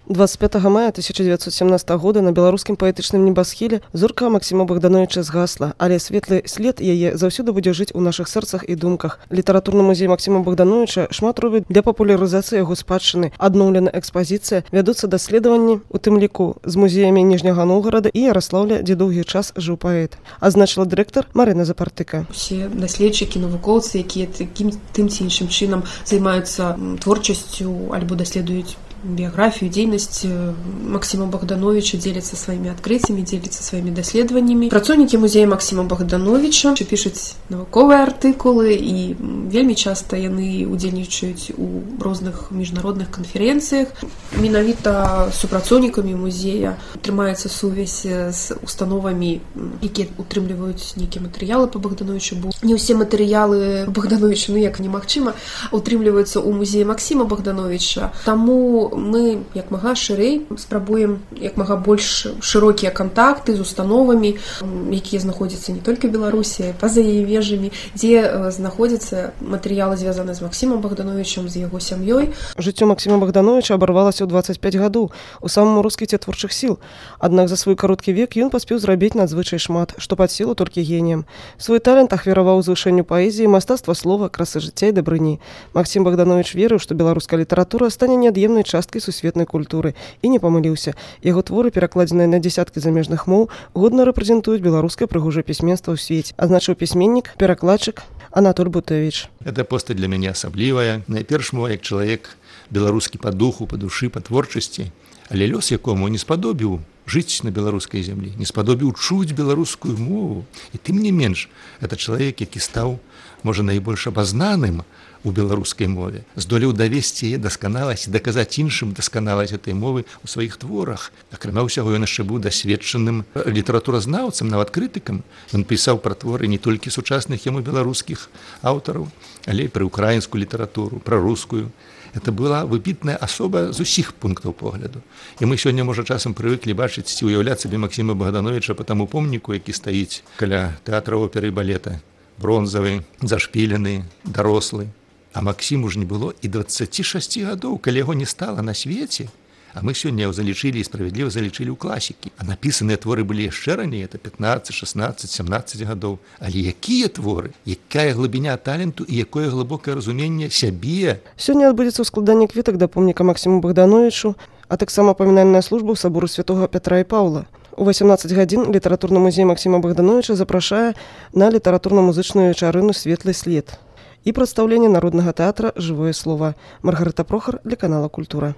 25 мая 1917 года на беларускім паэтычным небасхіле зорка Максіма Богдановича згасла, але светлы след яе заўсёды будзе жыць у нашых сэрцах і думках. Літаратурны музей Максіма Богдановича шмат робіць для папулярызацыі яго спадчыны. Адноўлена экспазіцыя, вядуцца даследаванні, у тым ліку з музеямі Ніжняга Новгарада і Яраслаўля, дзе доўгі час жыў паэт. Азначыла дырэктар Марына Запартыка. Усе даследчыкі, навукоўцы, якія тым ці іншым чынам займаюцца творчасцю альбо даследуюць биографию, деятельность Максима Богдановича, делятся своими открытиями, делятся своими даследаваннямі. Працоўнікі музея Максима Богдановича пишуць навуковыя артыкулы і вельмі часта яны удзельнічаюць у розных міжнародных канферэнцыях. Менавіта супрацоўнікамі музея трымаецца сувязь з установамі, якія утрымліваюць нейкія матэрыялы па Богдановичу. Бо не ўсе матэрыялы Богдановича, як немагчыма, утрымліваюцца ў музеі Максима Богдановича. Таму мы як мага шырэй спрабуем як мага больш шырокія кантакты з установамі, якія знаходзяцца не толькі ў Беларусі, па-за яе межамі, дзе знаходзяцца матэрыялы, звязаныя з Максімам Богдановичам, з яго сям'ёй. Жыццё Максіма Богдановича абарвалася ў 25 гадоў у самым росквіце творчых сіл. Аднак за свой кароткі век ён паспеў зрабіць надзвычай шмат, што пад сілу толькі геніям. Свой талент ахвяраваў звышэнню паэзіі, мастацтва слова, красы жыцця і дабрыні. Максім Богданович верыў, што беларуская літаратура стане неад'емнай часткай сусветнай культуры, і не памыліўся. Яго творы, перакладзеныя на дзясяткі замежных моў, годна рэпрэзентуюць беларускае прыгожае пісьменства ў свеце, азначыў пісьменнік, перакладчык Анатоль Бутевич. Эта постать для мяне асаблівая. Найперш мой як чалавек беларускі па духу, па душы, па творчасці, але лёс якому не спадобіў жыць на беларускай зямлі, не спадобіў чуць беларускую мову. І тым не менш, это чалавек, які стаў, можа, найбольш абазнаным у беларускай мове, здолеў давесці яе дасканаласць і даказаць іншым дасканаласць этой мовы ў сваіх творах. Акрамя ўсяго, ён яшчэ быў дасведчаным літаратуразнаўцам, нават крытыкам. Ён пісаў пра творы не толькі сучасных яму беларускіх аўтараў, але і пра украінскую літаратуру, пра рускую. Это была выбітная асоба з усіх пунктаў погляду. І мы сёння, можа, часам прывыклі бачыць ці ўяўляць сабе Максіма Богдановича па таму помніку, які стаіць каля тэатра оперы і балета. Бронзавы, зашпілены, дарослы. А Максіму ж не было і 26 гадоў, калі яго не стала на свеце. А мы сёння яго залічылі і справядліва залічылі ў класікі. А напісаныя творы былі яшчэ раней, это 15, 16, 17 гадоў. Але якія творы? Якая глыбіня таленту і якое глыбокае разуменне сябе? Сёння адбудзецца ўскладанне кветак да помніка Максіму Богдановичу, а таксама памінальная служба ў сабору святога Пятра і Паўла. У 18 гадзін літаратурны музей Максіма Богдановича запрашае на літаратурна-музычную вечарыну «Светлы след» і прадстаўленне народнага тэатра «Жывое слово». Маргарыта Прохар для канала «Культура».